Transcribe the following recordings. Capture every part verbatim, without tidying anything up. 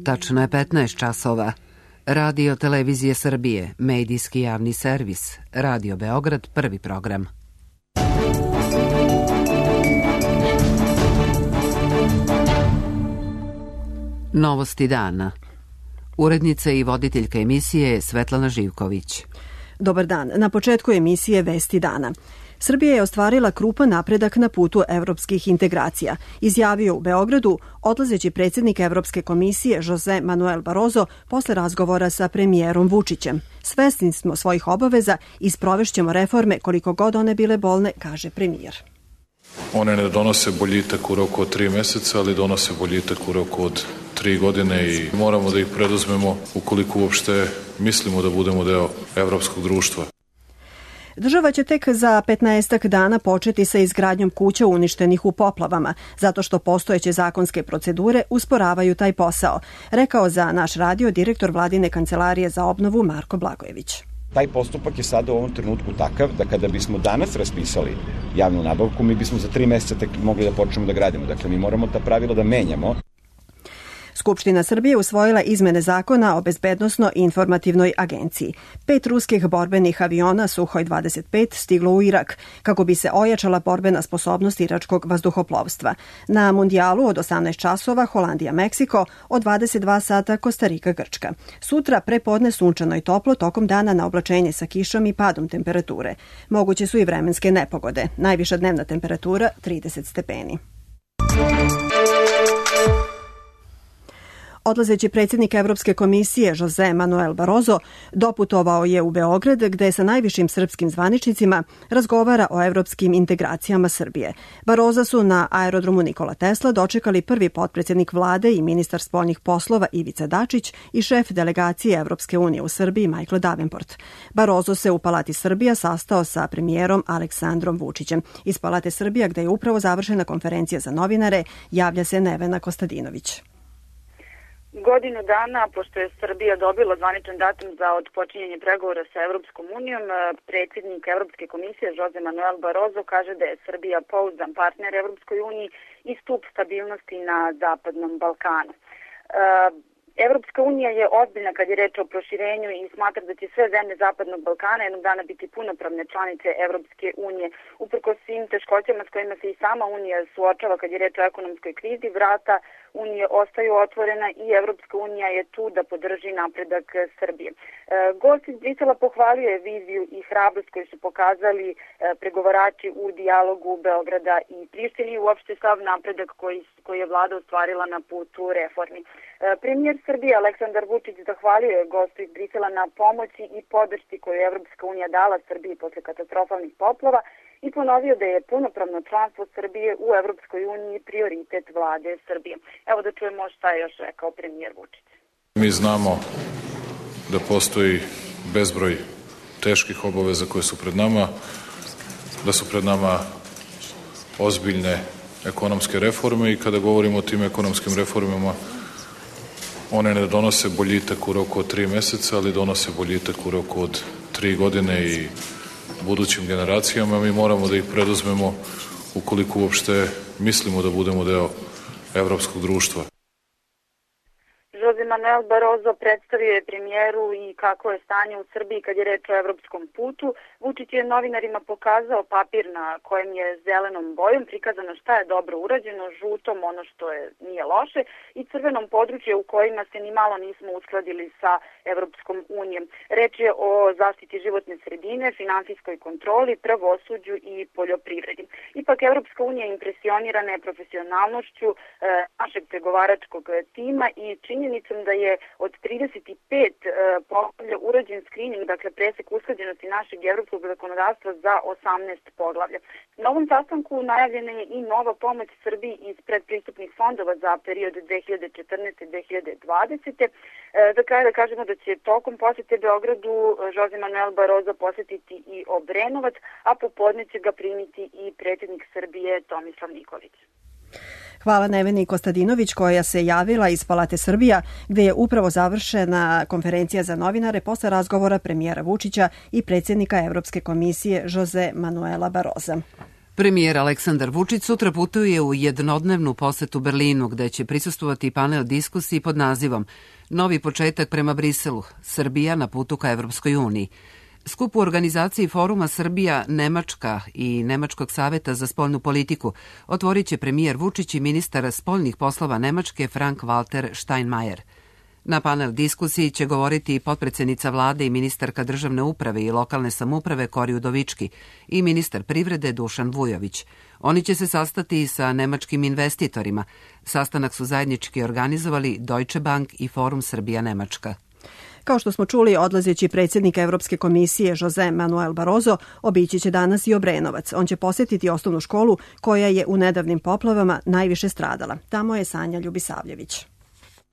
Tačno je petnaest časova. Radio Televizije Srbije, medijski javni servis, Radio Beograd, prvi program. Novosti dana. Urednica i voditeljka emisije je Svetlana Živković. Dobar dan. Na početku emisije Vesti dana. Srbija je ostvarila krupan napredak na putu evropskih integracija, izjavio u Beogradu odlazeći predsjednik Evropske komisije Jose Manuel Barroso posle razgovora sa premijerom Vučićem. Svesni smo svojih obaveza i sprovešćemo reforme koliko god one bile bolne, kaže premijer. One ne donose boljitak u roku od tri meseca, ali donose boljitak u roku od tri godine i moramo da ih preduzmemo ukoliko uopšte mislimo da budemo deo evropskog društva. Država će tek za petnaestak dana početi sa izgradnjom kuća uništenih u poplavama, zato što postojeće zakonske procedure usporavaju taj posao, rekao za naš radio direktor Vladine kancelarije za obnovu Marko Blagojević. Taj postupak je sada u ovom trenutku takav da kada bismo danas raspisali javnu nabavku, mi bismo za tri meseca tek mogli da počnemo da gradimo. Dakle, mi moramo ta pravila da menjamo. Skupština Srbije usvojila izmene zakona o bezbednosno-informativnoj agenciji. Pet ruskih borbenih aviona Suhoj dvadeset pet stiglo u Irak, kako bi se ojačala borbena sposobnost iračkog vazduhoplovstva. Na mundijalu od osamnaest časova Holandija-Meksiko, od dvadeset dva sata Kostarika-Grčka. Sutra prepodne sunčano i toplo, tokom dana na oblačenje sa kišom i padom temperature. Moguće su i vremenske nepogode. Najviša dnevna temperatura trideset stepeni. Odlazeći predsjednik Evropske komisije Jose Manuel Barroso doputovao je u Beograd gde sa najvišim srpskim zvaničnicima razgovara o evropskim integracijama Srbije. Barrosa su na aerodromu Nikola Tesla dočekali prvi potpredsjednik vlade i ministar spoljnih poslova Ivica Dačić i šef delegacije Evropske unije u Srbiji Michael Davenport. Barroso se u Palati Srbija sastao sa premijerom Aleksandrom Vučićem. Iz Palate Srbija, gde je upravo završena konferencija za novinare, javlja se Nevena Kostadinović. Godinu dana, pošto je Srbija dobila zvaničan datum za otpočinjanje pregovora sa Evropskom unijom, predsjednik Evropske komisije Jose Manuel Barroso kaže da je Srbija pouzdan partner Evropskoj uniji i stup stabilnosti na Zapadnom Balkanu. Evropska unija je ozbiljna kad je reč o proširenju i smatra da će sve zemlje Zapadnog Balkana jednog dana biti punopravne članice Evropske unije. Uprkos svim teškoćama s kojima se i sama unija suočava kad je reč o ekonomskoj krizi, vrata unije ostaju otvorena i Evropska unija je tu da podrži napredak Srbije. Gost iz Brisela pohvaljuje viziju i hrabrost koju su pokazali pregovarači u dijalogu Beograda i Prištine i uopšte sav napredak koji, koji je vlada ostvarila na putu reformi. Premijer Srbije Aleksandar Vučić zahvaljuje gostu iz Brisela na pomoći i podršci koju je Evropska unija dala Srbiji posle katastrofalnih poplava i ponovio da je punopravno članstvo Srbije u Evropskoj uniji prioritet vlade Srbije. Evo da čujemo šta je još rekao premijer Vučić. Mi znamo da postoji bezbroj teških obaveza koje su pred nama, da su pred nama ozbiljne ekonomske reforme i kada govorimo o tim ekonomskim reformama, one ne donose boljitak u roku od tri meseca, ali donose boljitak u roku od tri godine i budućim generacijama. Mi moramo da ih preduzmemo ukoliko uopšte mislimo da budemo deo evropskog društva. Jose Manuel Barroso predstavio je premijeru i kako je stanje u Srbiji kad je reč o evropskom putu. Vučić je novinarima pokazao papir na kojem je zelenom bojom prikazano šta je dobro urađeno, žutom ono što je nije loše i crvenom područje u kojima se ni malo nismo uskladili sa Evropskom unijom. Reč je o zaštiti životne sredine, finansijskoj kontroli, pravosuđu i poljoprivredi. Ipak Evropska unija impresionirana je profesionalnošću e, našeg pregovaračkog tima i činjenicom da je od trideset pet e, poglavlja urađen screening, dakle presek usklađenosti našeg evropskog zakonodavstva za osamnaest poglavlja. Na ovom sastanku najavljena je i nova pomoć Srbiji iz predpristupnih fondova za period dve hiljade četrnaeste do dve hiljade dvadesete. E, za kraj da kažemo da će tokom posete Beogradu Jose Manuel Barroso posetiti i Obrenovac, a popodne će ga primiti i predsjednik Srbije Tomislav Nikolić. Hvala Neveni Kostadinović koja se javila iz Palate Srbija gde je upravo završena konferencija za novinare posle razgovora premijera Vučića i predsjednika Evropske komisije Jose Manuela Barrosa. Premijer Aleksandar Vučić sutra putuje u jednodnevnu posetu Berlinu, gde će prisustvovati panel diskusiji pod nazivom Novi početak prema Briselu, Srbija na putu ka Evropskoj uniji. Skup u organizaciji foruma Srbija, Nemačka i Nemačkog saveta za spoljnu politiku otvorit će premijer Vučić i ministar spoljnih poslova Nemačke Frank-Walter Steinmeier. Na panel diskusiji će govoriti i potpredsednica vlade i ministarka državne uprave i lokalne samouprave Kori Udovički i ministar privrede Dušan Vujović. Oni će se sastati i sa nemačkim investitorima. Sastanak su zajednički organizovali Deutsche Bank i Forum Srbija-Nemačka. Kao što smo čuli, odlazeći predsjednik Evropske komisije Jose Manuel Barroso obići će danas i Obrenovac. On će posjetiti osnovnu školu koja je u nedavnim poplavama najviše stradala. Tamo je Sanja Ljubisavljević.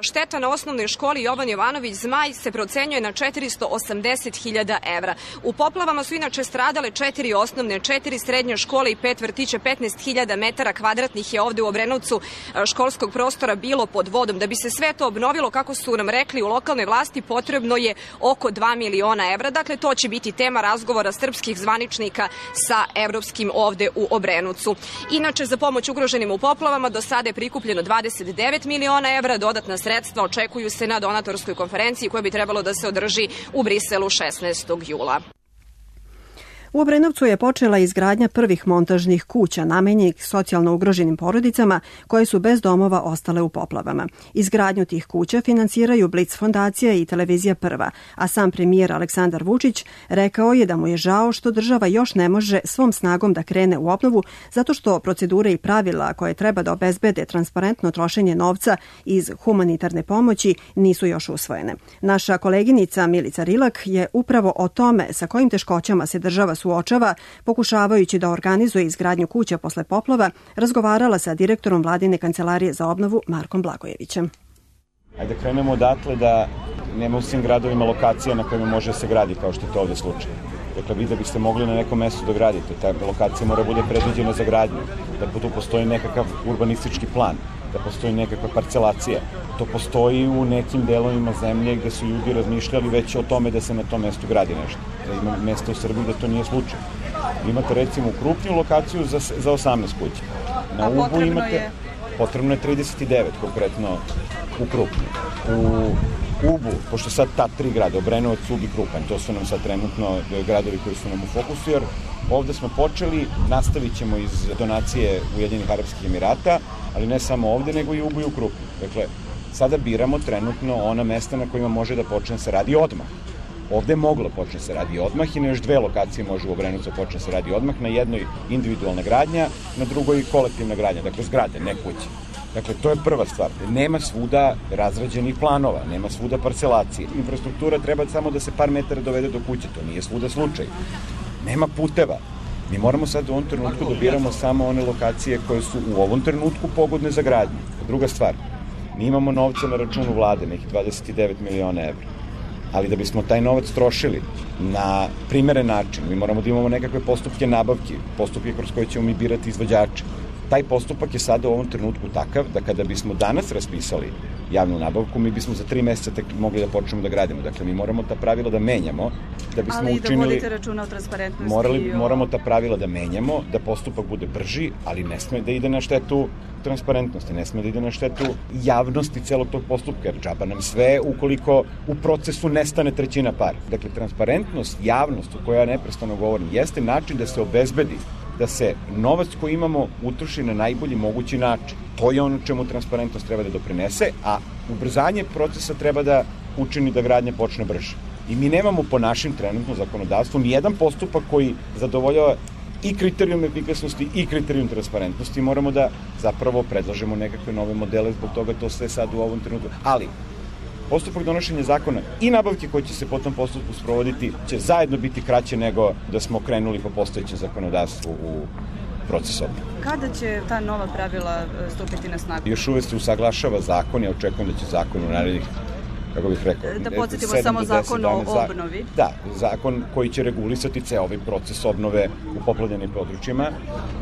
Šteta na osnovnoj školi Jovan Jovanović Zmaj se procenjuje na četiristo osamdeset hiljada evra. U poplavama su inače stradale četiri osnovne, četiri srednje škole i pet vrtića, petnaest hiljada metara kvadratnih je ovde u Obrenovcu školskog prostora bilo pod vodom. Da bi se sve to obnovilo, kako su nam rekli u lokalnoj vlasti, potrebno je oko dva miliona evra. Dakle, to će biti tema razgovora srpskih zvaničnika sa evropskim ovde u Obrenovcu. Inače, za pomoć ugroženim u poplavama do sada je prikupljeno dvadeset devet miliona evra, dodatna sredstva očekuju se na donatorskoj konferenciji koja bi trebalo da se održi u Briselu šesnaestog jula. U Obrenovcu je počela izgradnja prvih montažnih kuća namenjenih socijalno ugroženim porodicama koje su bez domova ostale u poplavama. Izgradnju tih kuća finansiraju Blic fondacija i televizija Prva, a sam premijer Aleksandar Vučić rekao je da mu je žao što država još ne može svom snagom da krene u obnovu zato što procedure i pravila koje treba da obezbede transparentno trošenje novca iz humanitarne pomoći nisu još usvojene. Naša koleginica Milica Rilak je upravo o tome sa kojim teškoćama se država suočava, pokušavajući da organizuje izgradnju kuća posle poplava, razgovarala sa direktorom vladine kancelarije za obnovu Markom Blagojevićem. Ajde krenemo odatle da nema u svim gradovima lokacija na kojima može se gradi, kao što je to ovde slučaj. Dakle, vi da biste mogli na nekom mestu da gradite, ta lokacija mora bude predviđena za gradnju, da tu postoji nekakav urbanistički plan, da postoji nekakva parcelacija. To postoji u nekim delovima zemlje gde su ljudi razmišljali već o tome da se na tom mestu gradi nešto. Da ima mesta u Srbiji da to nije slučaj. Vi imate recimo krupniju lokaciju za, za osamnaest kuća. Na Ubu imate, je? Potrebno je trideset devet konkretno u Krupnju. U Ubu, pošto sad ta tri grada, Obrenovac, Ub i Krupanj, to su nam sad trenutno gradovi koji su nam u fokusu, jer ovde smo počeli, nastavit ćemo iz donacije Ujedinjenih Arapskih Emirata, ali ne samo ovde, nego i u Ubu i u Krupnju. Dakle, sada biramo trenutno ona mesta na kojima može da počne se radi odmah. Ovde je moglo počne se radi odmah i na još dve lokacije može u Obrenovcu počne se radi odmah, na jednoj individualna gradnja, na drugoj kolektivna gradnja, dakle zgrade, ne kuće. Dakle, to je prva stvar. Nema svuda razrađenih planova, nema svuda parcelacije. Infrastruktura treba samo da se par metara dovede do kuće, to nije svuda slučaj. Nema puteva. Mi moramo sad u ovom trenutku da biramo samo one lokacije koje su u ovom trenutku pogodne za gradnju. Druga stvar, mi imamo novca na računu vlade, nekih dvadeset devet miliona evra. Ali da bismo taj novac trošili na primeren način, mi moramo da imamo nekakve postupke nabavki, postupke kroz koje ćemo mi birati izvođače. Taj postupak je sada u ovom trenutku takav da kada bismo danas raspisali javnu nabavku, mi bismo za tri meseca tek mogli da počnemo da gradimo. Dakle, mi moramo ta pravila da menjamo, da bismo ali učinili... Ali da vodite računa o transparentnosti. Morali, o... Moramo ta pravila da menjamo, da postupak bude brži, ali ne sme da ide na štetu transparentnosti, ne sme da ide na štetu javnosti celog tog postupka, jer džaba nam sve ukoliko u procesu nestane trećina para. Dakle, transparentnost, javnost o kojoj ja neprestano govorim, jeste način da se obezbedi da se novac koji imamo utroši na najbolji mogući način. To je ono čemu transparentnost treba da doprinese, a ubrzanje procesa treba da učini da gradnja počne brže. I mi nemamo po našim trenutno zakonodavstvu ni jedan postupak koji zadovoljava i kriterijum efikasnosti i kriterijum transparentnosti. Moramo da zapravo predlažemo nekakve nove modele, zbog toga to sve sad u ovom trenutku. Ali, postupak donošenja zakona i nabavke koje će se po tom postupku sprovoditi će zajedno biti kraće nego da smo krenuli po postojećem zakonodavstvu u proces obnove. Kada će ta nova pravila stupiti na snagu? Još uvek se usaglašava zakon, ja očekujem da će zakon u narednih, kako bih rekao, da podsjetimo samo zakon o obnovi. Da, zakon koji će regulisati ceo ovaj proces obnove u poplavljenim područjima.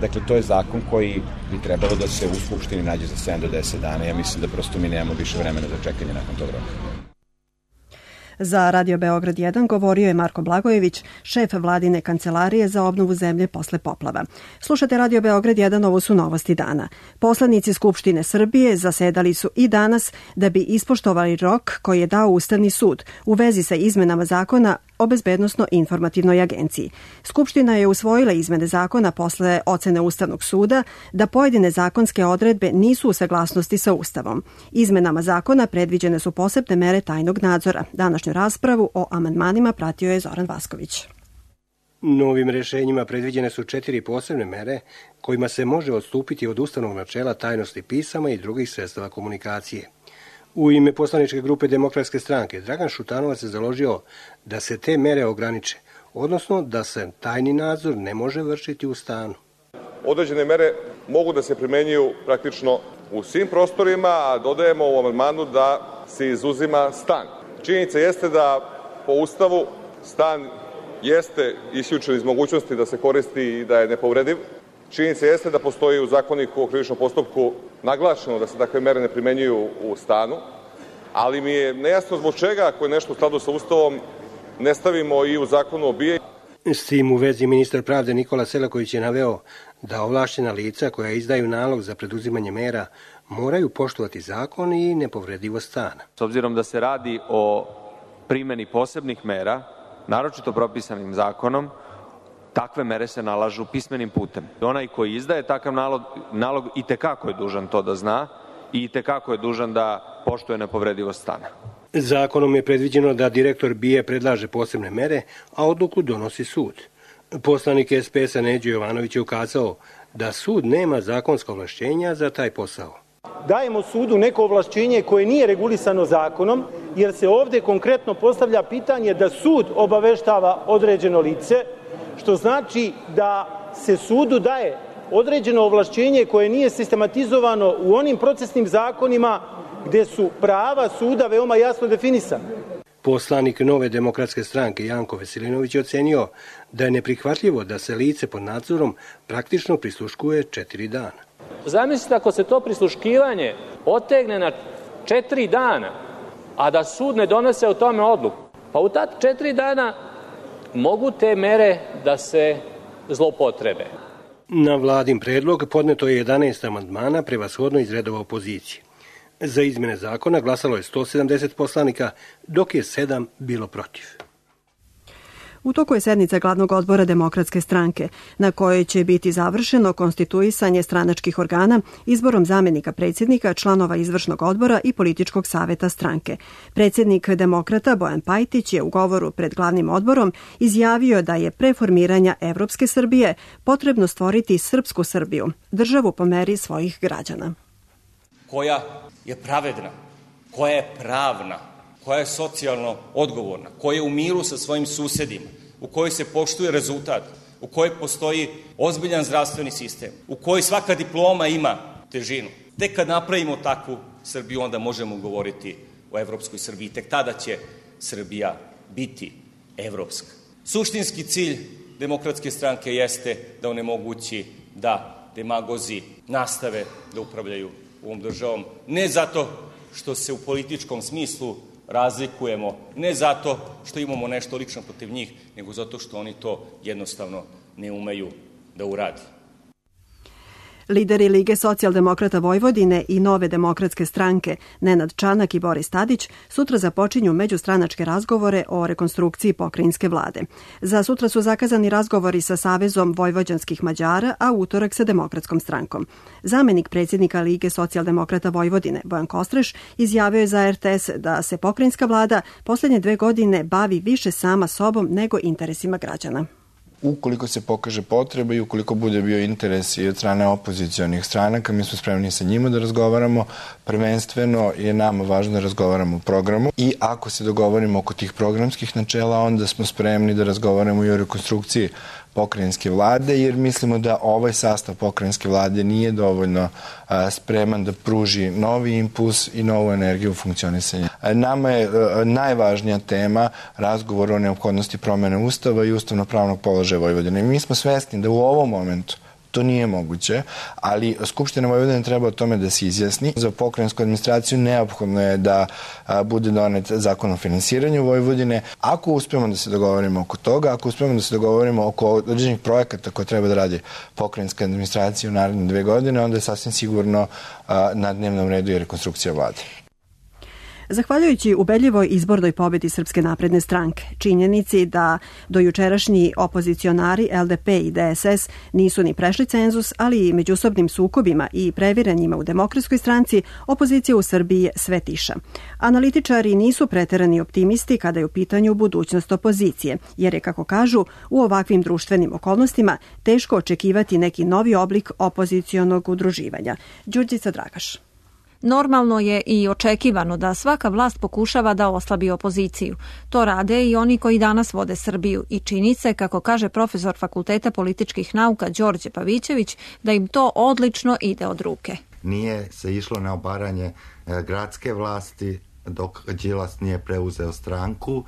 Dakle, to je zakon koji bi trebalo da se u Skupštini nađe za sedam do deset dana. Ja mislim da prosto mi nemamo više vremena za čekanje nakon tog roka. Za Radio Beograd jedan govorio je Marko Blagojević, šef vladine kancelarije za obnovu zemlje posle poplava. Slušate Radio Beograd jedan, ovo su novosti dana. Poslanici Skupštine Srbije zasedali su i danas da bi ispoštovali rok koji je dao Ustavni sud u vezi sa izmenama zakona o Bezbednosno-informativnoj agenciji. Skupština je usvojila izmene zakona posle ocene Ustavnog suda da pojedine zakonske odredbe nisu u saglasnosti sa Ustavom. Izmenama zakona predviđene su posebne mere tajnog nadzora. Današnju raspravu o amandmanima pratio je Zoran Vasković. Novim rešenjima predviđene su četiri posebne mere kojima se može odstupiti od ustavnog načela tajnosti pisama i drugih sredstava komunikacije. U ime poslaničke grupe Demokratske stranke Dragan Šutanovac se založio da se te mere ograniče, odnosno da se tajni nadzor ne može vršiti u stanu. Određene mere mogu da se primenjuju praktično u svim prostorima, a dodajemo u amandmanu da se izuzima stan. Činjenica jeste da po Ustavu stan jeste isključen iz mogućnosti da se koristi i da je nepovrediv. Činjenica jeste da postoji u Zakoniku o krivičnom postupku naglašeno da se takve mere ne primenjuju u stanu, ali mi je nejasno zbog čega, ako je nešto u skladu sa Ustavom, ne stavimo i u Zakonu o B I A. S tim u vezi ministar pravde Nikola Selaković je naveo da ovlašćena lica koja izdaju nalog za preduzimanje mera moraju poštovati zakon i nepovredivost stana. S obzirom da se radi o primeni posebnih mera, naročito propisanim zakonom, takve mere se nalažu pismenim putem. Onaj koji izdaje takav nalog, nalog i tekako je dužan to da zna i i tekako je dužan da poštuje nepovredivost stana. Zakonom je predviđeno da direktor B I A predlaže posebne mere, a odluku donosi sud. Poslanik S P S-a Neđo Jovanović je ukazao da sud nema zakonska ovlašćenja za taj posao. Dajemo sudu neko ovlašćenje koje nije regulisano zakonom, jer se ovde konkretno postavlja pitanje da sud obaveštava određeno lice, što znači da se sudu daje određeno ovlašćenje koje nije sistematizovano u onim procesnim zakonima gde su prava suda veoma jasno definisana. Poslanik Nove demokratske stranke Janko Veselinović je ocenio da je neprihvatljivo da se lice pod nadzorom praktično prisluškuje četiri dana. Zamislite ako se to prisluškivanje otegne na četiri dana, a da sud ne donese o tome odluku. Pa u ta četiri dana mogu te mere da se zloupotrebe. Na vladin predlog podneto je jedanaest amandmana, prevashodno iz redova opozicije. Za izmene zakona glasalo je sto sedamdeset poslanika, dok je sedam bilo protiv. U toku je sednica glavnog odbora Demokratske stranke, na kojoj će biti završeno konstituisanje stranačkih organa izborom zamenika predsjednika, članova izvršnog odbora i političkog saveta stranke. Predsjednik Demokrata Bojan Pajtić je u govoru pred glavnim odborom izjavio da je pre formiranja Evropske Srbije potrebno stvoriti srpsku Srbiju, državu po meri svojih građana. Koja je pravedna, koja je pravna, koja je socijalno odgovorna, koja je u miru sa svojim susedima, u kojoj se poštuje rezultat, u kojoj postoji ozbiljan zdravstveni sistem, u kojoj svaka diploma ima težinu. Tek kad napravimo takvu Srbiju, onda možemo govoriti o evropskoj Srbiji. Tek tada će Srbija biti evropska. Suštinski cilj Demokratske stranke jeste da onemogući da demagozi nastave da upravljaju ovom državom. Ne zato što se u političkom smislu razlikujemo, ne zato što imamo nešto lično protiv njih, nego zato što oni to jednostavno ne umeju da uradi. Lideri Lige socijaldemokrata Vojvodine i Nove demokratske stranke Nenad Čanak i Boris Tadić sutra započinju međustranačke razgovore o rekonstrukciji pokrajinske vlade. Za sutra su zakazani razgovori sa Savezom vojvođanskih Mađara, a utorak sa Demokratskom strankom. Zamenik predsjednika Lige socijaldemokrata Vojvodine Bojan Kostreš izjavio je za R T S da se pokrajinska vlada posljednje dve godine bavi više sama sobom nego interesima građana. Ukoliko se pokaže potreba i ukoliko bude bio interes i od strane opozicionih stranaka, mi smo spremni sa njima da razgovaramo. Prvenstveno je nama važno da razgovaramo o programu i ako se dogovorimo oko tih programskih načela, onda smo spremni da razgovaramo i o rekonstrukciji pokrajinske vlade, jer mislimo da ovaj sastav pokrajinske vlade nije dovoljno a, spreman da pruži novi impuls i novu energiju u funkcionisanju. Nama je a, najvažnija tema razgovor o neophodnosti promene Ustava i ustavno-pravnog položaja Vojvodine. Mi smo svesni da u ovom momentu To nije moguće, ali Skupština Vojvodine treba o tome da se izjasni. Za pokrajinsku administraciju neophodno je da bude donet zakon o finansiranju Vojvodine. Ako uspemo da se dogovorimo oko toga, ako uspemo da se dogovorimo oko određenih projekata koje treba da radi pokrajinska administracija u naredne dve godine, onda je sasvim sigurno na dnevnom redu i rekonstrukcija vlade. Zahvaljujući ubedljivoj izbornoj pobedi Srpske napredne stranke, činjenici da dojučerašnji opozicionari L D P i D S S nisu ni prešli cenzus, ali i međusobnim sukobima i previranjima u Demokratskoj stranci, opozicija u Srbiji je sve tiša. Analitičari nisu preterani optimisti kada je u pitanju budućnost opozicije, jer je, kako kažu, u ovakvim društvenim okolnostima teško očekivati neki novi oblik opozicionog udruživanja. Đurđica Dragaš. Normalno je i očekivano da svaka vlast pokušava da oslabi opoziciju. To rade i oni koji danas vode Srbiju i čini se, kako kaže profesor Fakulteta političkih nauka Đorđe Pavićević, da im to odlično ide od ruke. Nije se išlo na obaranje gradske vlasti dok Đilas nije preuzeo stranku,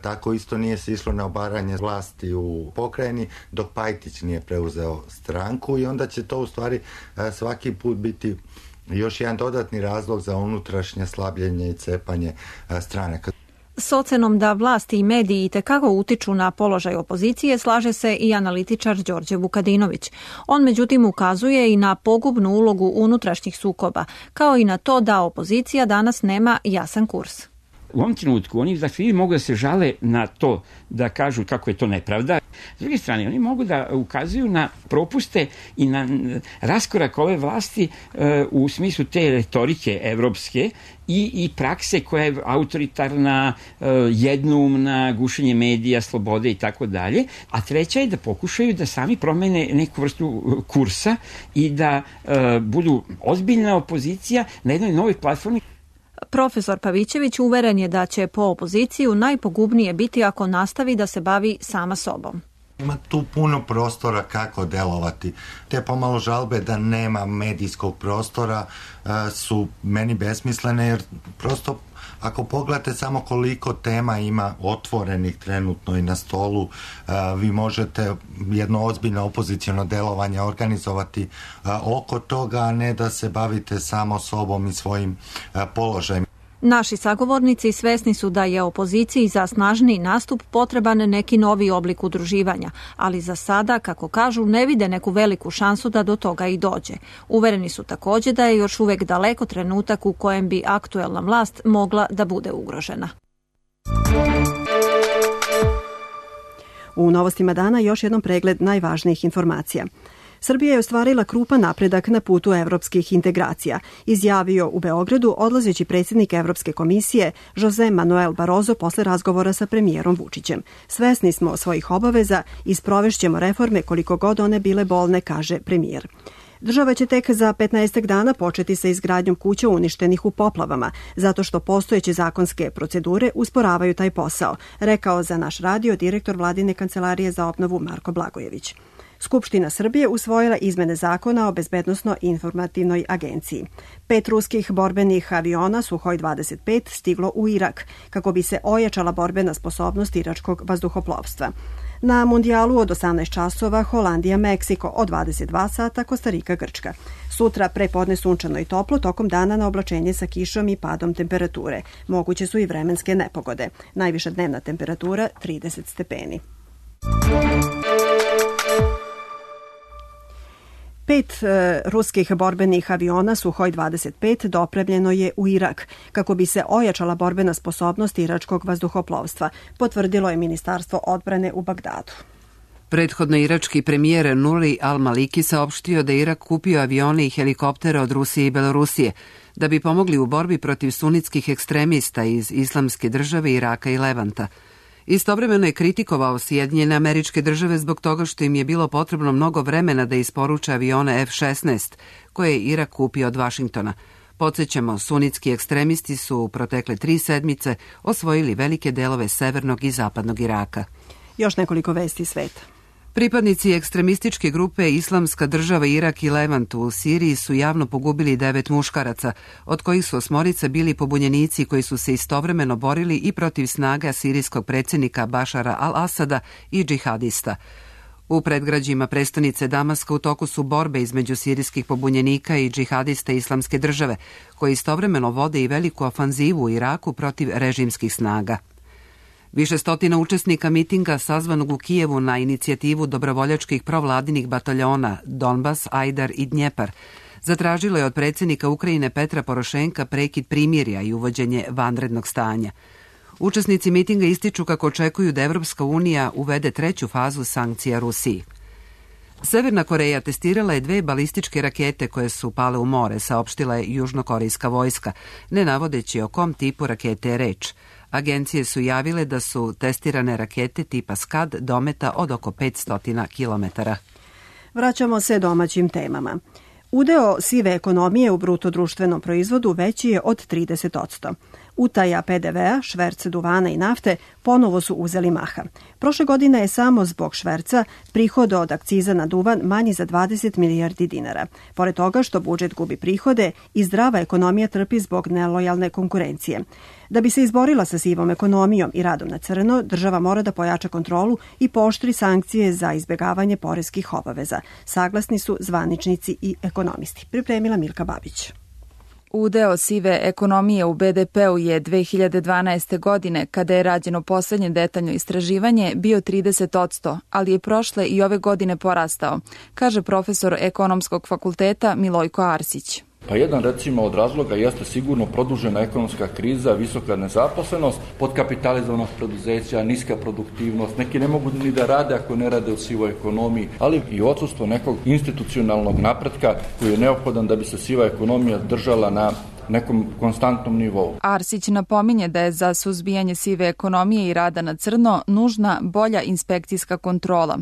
tako isto nije se išlo na obaranje vlasti u pokrajini dok Pajtić nije preuzeo stranku i onda će to u stvari svaki put biti još jedan dodatni razlog za unutrašnje slabljenje i cepanje stranaka. S ocenom da vlasti i mediji itekako utiču na položaj opozicije slaže se i analitičar Đorđe Vukadinović. On međutim ukazuje i na pogubnu ulogu unutrašnjih sukoba, kao i na to da opozicija danas nema jasan kurs. U ovom trenutku oni da svi mogu da se žale na to, da kažu kako je to nepravda. S druge strane, oni mogu da ukazuju na propuste i na raskorak ove vlasti e, u smislu te retorike evropske i, i prakse koja je autoritarna, e, jednoumna, gušenje medija, slobode i tako dalje. A treća je da pokušaju da sami promene neku vrstu kursa i da e, budu ozbiljna opozicija na jednoj novoj platformi. Profesor Pavićević uveren je da će po opoziciju najpogubnije biti ako nastavi da se bavi sama sobom. Ima tu puno prostora kako delovati. Te pomalo žalbe da nema medijskog prostora su meni besmislene jer prosto ako pogledate samo koliko tema ima otvorenih trenutno i na stolu, vi možete jedno ozbiljno opoziciono delovanje organizovati oko toga, a ne da se bavite samo sobom i svojim položajem. Naši sagovornici svesni su da je opoziciji za snažniji nastup potreban neki novi oblik udruživanja, ali za sada, kako kažu, ne vide neku veliku šansu da do toga i dođe. Uvereni su također da je još uvek daleko trenutak u kojem bi aktuelna vlast mogla da bude ugrožena. U novostima dana još jednom pregled najvažnijih informacija. Srbija je ostvarila krupan napredak na putu evropskih integracija, izjavio u Beogradu odlazeći predsjednik Evropske komisije Jose Manuel Barroso posle razgovora sa premijerom Vučićem. Svesni smo svojih obaveza i sprovešćemo reforme koliko god one bile bolne, kaže premijer. Država će tek za petnaestak dana početi sa izgradnjom kuća uništenih u poplavama, zato što postojeće zakonske procedure usporavaju taj posao, rekao za naš radio direktor Vladine kancelarije za obnovu Marko Blagojević. Skupština Srbije usvojila izmene zakona o bezbednosno-informativnoj agenciji. Pet ruskih borbenih aviona Suhoj dvadeset pet stiglo u Irak, kako bi se ojačala borbena sposobnost iračkog vazduhoplovstva. Na mundijalu od osamnaest časova Holandija-Meksiko, od dvadeset dva sata Kostarika-Grčka. Sutra prepodne sunčano i toplo, tokom dana na oblačenje sa kišom i padom temperature. Moguće su i vremenske nepogode. Najviša dnevna temperatura trideset stepeni. Pet e, ruskih borbenih aviona Suhoj dvadeset pet dopremljeno je u Irak, kako bi se ojačala borbena sposobnost iračkog vazduhoplovstva, potvrdilo je Ministarstvo odbrane u Bagdadu. Prethodno irački premijer Nuri al-Maliki saopštio da Irak kupio avione i helikoptere od Rusije i Belorusije, da bi pomogli u borbi protiv sunitskih ekstremista iz Islamske države, Iraka i Levanta. Istovremeno je kritikovao Sjedinjene Američke Države zbog toga što im je bilo potrebno mnogo vremena da isporuče avione F šesnaest, koje je Irak kupio od Vašingtona. Podsjećamo, sunitski ekstremisti su u protekle tri sedmice osvojili velike delove severnog i zapadnog Iraka. Još nekoliko vesti sveta. Pripadnici ekstremističke grupe Islamska država Irak i Levant u Siriji su javno pogubili devet muškaraca, od kojih su osmorica bili pobunjenici koji su se istovremeno borili i protiv snaga sirijskog predsjednika Bašara al-Asada i džihadista. U predgrađima prestonice Damaska u toku su borbe između sirijskih pobunjenika i džihadista Islamske države, koji istovremeno vode i veliku ofanzivu u Iraku protiv režimskih snaga. Više stotina učesnika mitinga sazvanog u Kijevu na inicijativu dobrovoljačkih provladinih bataljona Donbas, Ajdar i Dnjepar zatražilo je od predsjednika Ukrajine Petra Porošenka prekid primirja i uvođenje vanrednog stanja. Učesnici mitinga ističu kako očekuju da Evropska unija uvede treću fazu sankcija Rusiji. Severna Koreja testirala je dve balističke rakete koje su pale u more, saopštila je južnokorejska vojska, ne navodeći o kom tipu rakete je reč. Agencije su javile da su testirane rakete tipa Skad dometa od oko petsto kilometara. Vraćamo se domaćim temama. Udeo sive ekonomije u bruto društvenom proizvodu veći je od trideset posto. Utaja pe de vea, šverc duvana i nafte ponovo su uzeli maha. Prošle godine je samo zbog šverca prihod od akciza na duvan manji za dvadeset milijardi dinara. Pored toga što budžet gubi prihode i zdrava ekonomija trpi zbog nelojalne konkurencije. Da bi se izborila sa sivom ekonomijom i radom na crno, država mora da pojača kontrolu i pooštri sankcije za izbjegavanje poreskih obaveza. Saglasni su zvaničnici i ekonomisti. Pripremila Milka Babić. Udeo sive ekonomije u be de peu je dve hiljade dvanaeste. godine, kada je rađeno poslednje detaljno istraživanje, bio trideset posto, ali je prošle i ove godine porastao, kaže profesor Ekonomskog fakulteta Milojko Arsić. Pa jedan recimo od razloga jeste sigurno produžena ekonomska kriza, visoka nezaposlenost, podkapitalizovanost preduzeća, niska produktivnost, neki ne mogu ni da rade ako ne rade u sivoj ekonomiji, ali i odsustvo nekog institucionalnog napretka koji je neophodan da bi se siva ekonomija držala na nekom konstantnom nivou. Arsić napominje da je za suzbijanje sive ekonomije i rada na crno nužna bolja inspekcijska kontrola.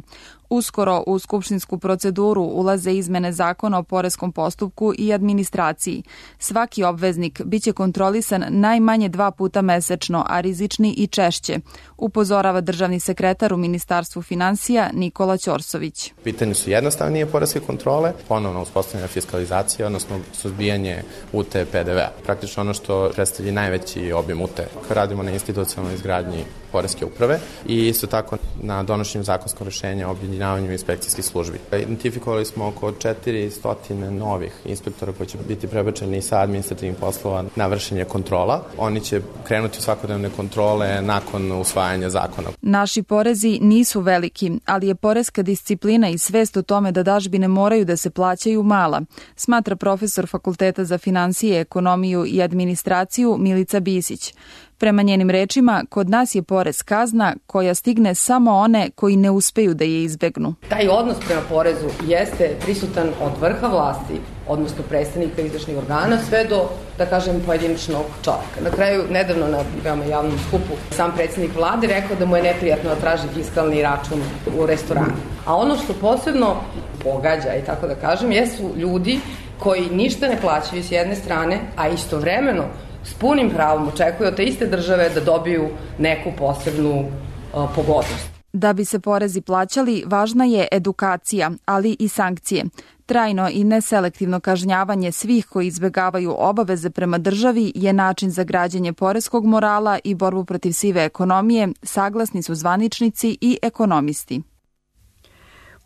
Uskoro u skupštinsku proceduru ulaze izmene zakona o poreskom postupku i administraciji. Svaki obveznik biće kontrolisan najmanje dva puta mesečno, a rizični i češće, upozorava državni sekretar u Ministarstvu finansija Nikola Ćorsović. Pitanje su jednostavnije poreske kontrole, ponovno uspostavljena fiskalizacija, odnosno suzbijanje utaje pe de vea. Praktično ono što predstavlja najveći obim utaje. Radimo na institucionalnoj izgradnji poreske uprave i isto tako na donošenju zakonskog rešenja o objedinjavanju inspekcijskih službi. Identifikovali smo oko četiristo novih inspektora koji će biti prebačeni sa administrativnih poslova na vršenje kontrola. Oni će krenuti u svakodnevne kontrole nakon usvajanja zakona. Naši porezi nisu veliki, ali je poreska disciplina i svest o tome da dažbine moraju da se plaćaju mala, smatra profesor Fakulteta za finansije, ekonomiju i administraciju Milica Bisić. Prema njenim rečima, kod nas je porez kazna koja stigne samo one koji ne uspeju da je izbegnu. Taj odnos prema porezu jeste prisutan od vrha vlasti, odnosno predstavnika izvršnih organa, sve do, da kažem, pojedinačnog čovjeka. Na kraju, nedavno na veoma javnom skupu, sam predsednik vlade rekao da mu je neprijatno da traži fiskalni račun u restoranu. A ono što posebno pogađa, i tako da kažem, jesu ljudi koji ništa ne plaćaju s jedne strane, a istovremeno s punim pravom očekuju od te iste države da dobiju neku posebnu uh, pogodnost. Da bi se porezi plaćali, važna je edukacija, ali i sankcije. Trajno i neselektivno kažnjavanje svih koji izbegavaju obaveze prema državi je način za građenje poreskog morala i borbu protiv sive ekonomije, saglasni su zvaničnici i ekonomisti.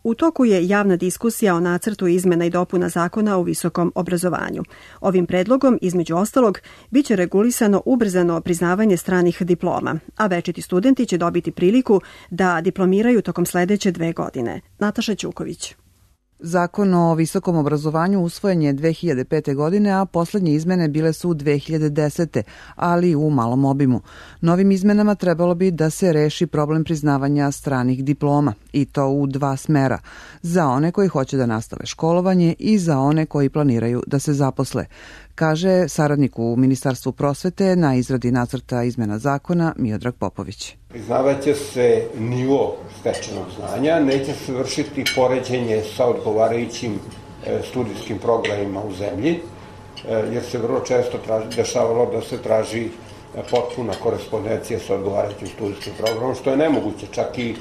U toku je javna diskusija o nacrtu izmena i dopuna zakona o visokom obrazovanju. Ovim predlogom, između ostalog, biće regulisano ubrzano priznavanje stranih diploma, a večiti studenti će dobiti priliku da diplomiraju tokom sledeće dve godine. Nataša Ćuković. Zakon o visokom obrazovanju usvojen je dve hiljade pete. godine, a poslednje izmene bile su dve hiljade desete. ali u malom obimu. Novim izmenama trebalo bi da se reši problem priznavanja stranih diploma, i to u dva smera, za one koji hoće da nastave školovanje i za one koji planiraju da se zaposle, kaže saradnik u Ministarstvu prosvete na izradi nacrta izmena zakona Miodrag Popović. Priznavaće se nivo stečenog znanja, neće se vršiti poređenje sa odgovarajućim studijskim programima u zemlji, jer se vrlo često traži, dešavalo da se traži potpuna korespondencija sa odgovarajućim studijskim programom, što je nemoguće. Čak i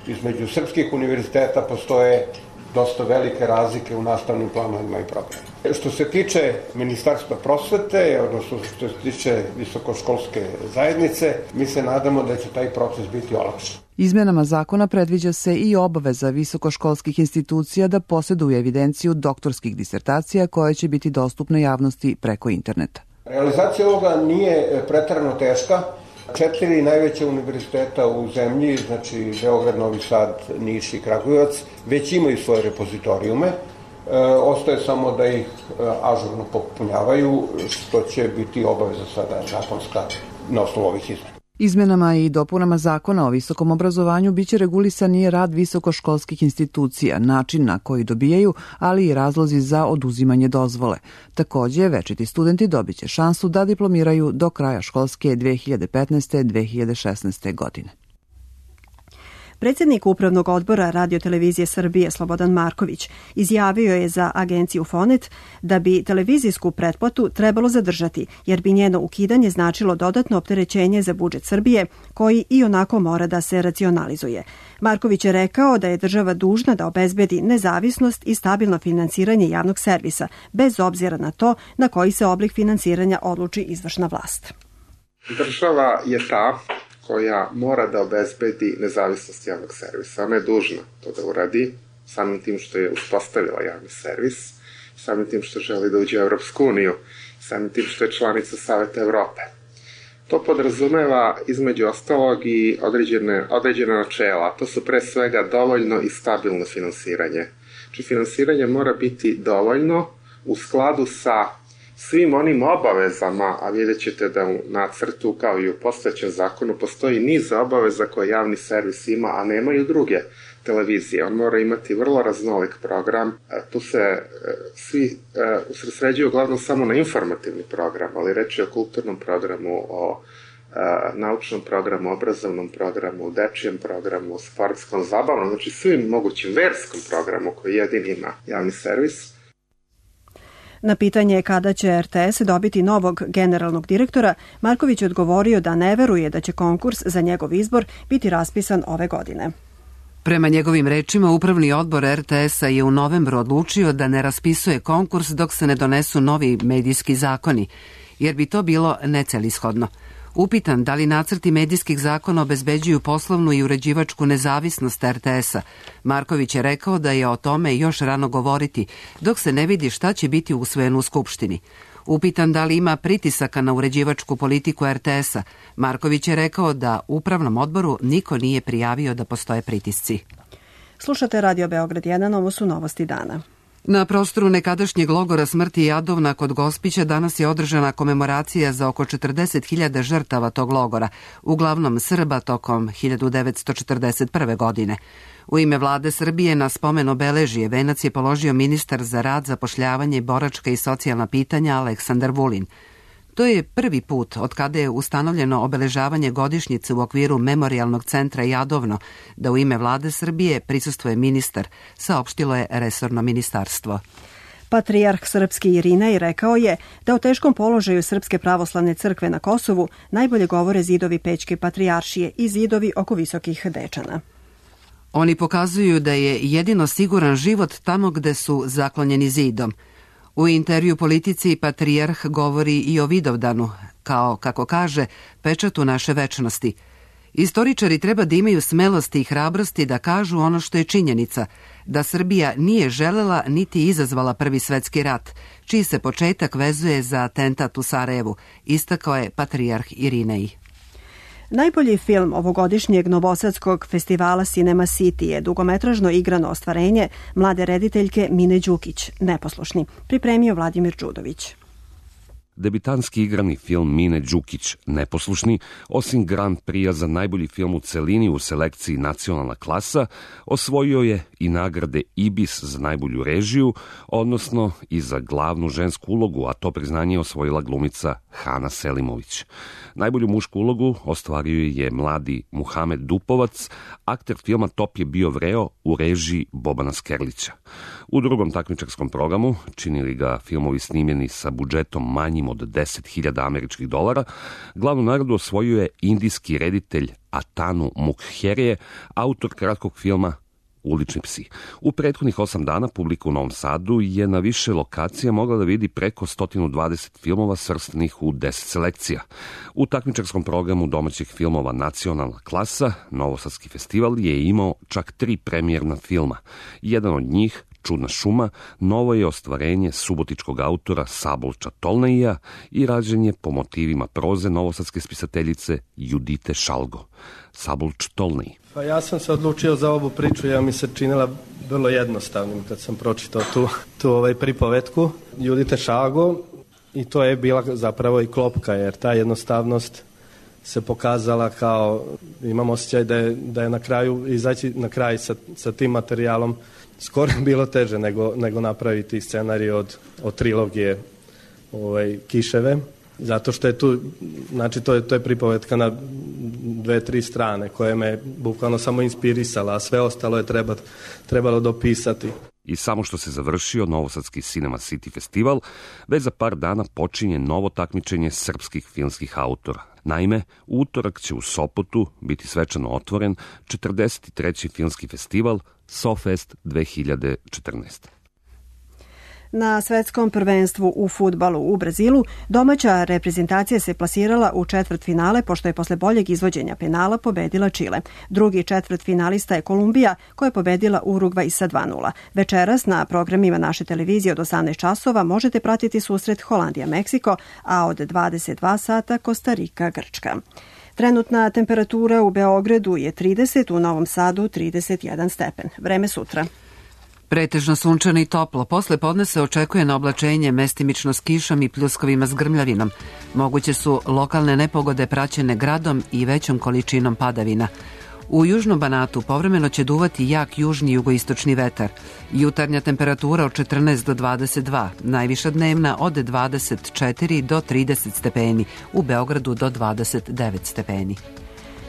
između srpskih univerziteta postoje dosta velike razlike u nastavnim planovima i programima. Što se tiče Ministarstva prosvete, odnosno što se tiče visokoškolske zajednice, mi se nadamo da će taj proces biti olakšan. Izmenama zakona predviđa se i obaveza visokoškolskih institucija da posjeduju evidenciju doktorskih disertacija koja će biti dostupna javnosti preko interneta. Realizacija ovoga nije preterano teška. Četiri najveća univerziteta u zemlji, znači Beograd, Novi Sad, Niš i Kragujevac, već imaju svoje repozitorijume. E, ostaje samo da ih e, ažurno popunjavaju, što će biti obaveza sada zakonska na osnovu ovih izmena. Izmenama i dopunama zakona o visokom obrazovanju biće regulisan i rad visokoškolskih institucija, način na koji dobijaju, ali i razlozi za oduzimanje dozvole. Takođe, večiti studenti dobiće šansu da diplomiraju do kraja školske dve hiljade petnaeste dve hiljade šesnaeste. godine. Predsjednik Upravnog odbora Radio-televizije Srbije Slobodan Marković izjavio je za agenciju Fonet da bi televizijsku pretplatu trebalo zadržati, jer bi njeno ukidanje značilo dodatno opterećenje za budžet Srbije, koji i onako mora da se racionalizuje. Marković je rekao da je država dužna da obezbedi nezavisnost i stabilno finansiranje javnog servisa, bez obzira na to na koji se oblik finansiranja odluči izvršna vlast. Država je ta koja mora da obezbedi nezavisnost javnog servisa. Ona je dužna to da uradi, samim tim što je uspostavila javni servis, samim tim što želi da uđe u Evropsku uniju, samim tim što je članica Saveta Evrope. To podrazumeva između ostalog i određene, određene načela. To su pre svega dovoljno i stabilno finansiranje. Znači finansiranje mora biti dovoljno u skladu sa svim onim obavezama, a vidjet ćete da u nacrtu kao i u postojećem zakonu postoji niz obaveza koje javni servis ima, a nemaju druge televizije. On mora imati vrlo raznolik program. Tu se svi usredsređuju uglavnom samo na informativni program, ali reč je o kulturnom programu, o naučnom programu, obrazovnom programu, dečijem programu, sportskom, zabavnom, znači svim mogućim verskom programu koji jedini ima javni servis. Na pitanje kada će R T S dobiti novog generalnog direktora, Marković je odgovorio da ne veruje da će konkurs za njegov izbor biti raspisan ove godine. Prema njegovim rečima, Upravni odbor R T S-a je u novembru odlučio da ne raspisuje konkurs dok se ne donesu novi medijski zakoni, jer bi to bilo necelishodno. Upitan da li nacrti medijskih zakona obezbeđuju poslovnu i uređivačku nezavisnost R T S-a, Marković je rekao da je o tome još rano govoriti, dok se ne vidi šta će biti usvojeno u Skupštini. Upitan da li ima pritisaka na uređivačku politiku R T S-a, Marković je rekao da Upravnom odboru niko nije prijavio da postoje pritisci. Slušate Radio Beograd jedan, ovo su novosti dana. Na prostoru nekadašnjeg logora smrti Jadovna kod Gospića danas je održana komemoracija za oko četrdeset hiljada žrtava tog logora, uglavnom Srba tokom hiljadu devetsto četrdeset prve. godine. U ime vlade Srbije na spomen obeležje venac je položio ministar za rad, zapošljavanje, boračka i socijalna pitanja Aleksandar Vulin. To je prvi put od kada je ustanovljeno obeležavanje godišnjice u okviru Memorijalnog centra Jadovno, da u ime vlade Srbije prisustvuje ministar, saopštilo je resorno ministarstvo. Patrijarh srpski Irinej rekao je da o teškom položaju Srpske pravoslavne crkve na Kosovu najbolje govore zidovi Pećke patrijaršije i zidovi oko Visokih Dečana. Oni pokazuju da je jedino siguran život tamo gde su zaklonjeni zidom. U intervju Politici patrijarh govori i o Vidovdanu, kao, kako kaže, pečatu naše večnosti. Istoričari treba da imaju smelosti i hrabrosti da kažu ono što je činjenica, da Srbija nije želela niti izazvala Prvi svetski rat, čiji se početak vezuje za atentat u Sarajevu, istakao je patrijarh Irinej. Najbolji film ovogodišnjeg novosadskog festivala Cinema City je dugometražno igrano ostvarenje mlade rediteljke Mine Đukić, Neposlušni, pripremio Vladimir Đudović. Debitanski igrani film Mine Đukić, Neposlušni, osim Grand Prix za najbolji film u celini u selekciji Nacionalna klasa, osvojio je i nagrade Ibis za najbolju režiju, odnosno i za glavnu žensku ulogu, a to priznanje je osvojila glumica Hana Selimović. Najbolju mušku ulogu ostvario je mladi Muhamed Dupovac, akter filma Top je bio vreo u režiji Bobana Skerlića. U drugom takmičarskom programu, činili ga filmovi snimljeni sa budžetom manjim od deset hiljada američkih dolara, glavnu nagradu osvojio je indijski reditelj Atanu Mukherjee, autor kratkog filma Ulični psi. U prethodnih osam dana publika u Novom Sadu je na više lokacija mogla da vidi preko sto dvadeset filmova svrstanih u deset selekcija. U takmičarskom programu domaćih filmova Nacionalna klasa, Novosadski festival je imao čak tri premijerna filma. Jedan od njih, Čudna šuma, novo je ostvarenje subotičkog autora Sabulča Tolneija i rađen je po motivima proze novosadske spisateljice Judite Šalgo. Sabulč Tolnej. Pa ja sam se odlučio za ovu priču, ja mi se činila vrlo jednostavnim kad sam pročitao tu, tu ovaj pripovetku Judite Šalgo i to je bila zapravo i klopka, jer ta jednostavnost se pokazala kao, imam osjećaj da je, da je na kraju, izaći na kraj sa, sa tim materijalom skoro bilo teže nego, nego napraviti scenarij od, od trilogije ovaj, Kiševe, zato što je tu, znači to je, to je pripovetka na dve, tri strane koje me bukvalno samo inspirisala, a sve ostalo je treba, trebalo dopisati. I samo što se završio Novosadski Cinema City festival, već za par dana počinje novo takmičenje srpskih filmskih autora. Naime, u utorak će u Sopotu biti svečano otvoren četrdeset treći filmski festival SoFest dve hiljade četrnaeste. Na svetskom prvenstvu u fudbalu u Brazilu domaća reprezentacija se plasirala u četvrtfinale pošto je posle boljeg izvođenja penala pobedila Čile. Drugi četvrtfinalista je Kolumbija koja je pobedila Urugvaj sa dva nula. Večeras na programima naše televizije od osamnaest časova možete pratiti susret Holandija-Meksiko, a od dvadeset dva sata Kostarika-Grčka. Trenutna temperatura u Beogradu je trideset, u Novom Sadu trideset jedan stepen. Vreme sutra. Pretežno sunčano i toplo. Posle podne se očekuje na oblačenje mestimično s kišom i pljuskovima s grmljavinom. Moguće su lokalne nepogode praćene gradom i većom količinom padavina. U južnom Banatu povremeno će duvati jak južni jugoistočni vetar. Jutarnja temperatura od četrnaest do dvadeset dva, najviša dnevna od dvadeset četiri do trideset stepeni, u Beogradu do dvadeset devet stepeni.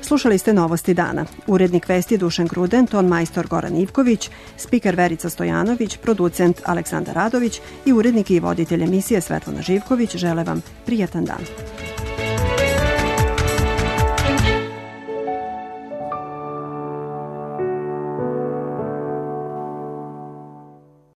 Slušali ste Novosti dana. Urednik vesti Dušan Gruden, ton majstor Goran Ivković, spiker Verica Stojanović, producent Aleksandar Radović i urednik i voditelj emisije Svetlana Živković žele vam prijatan dan.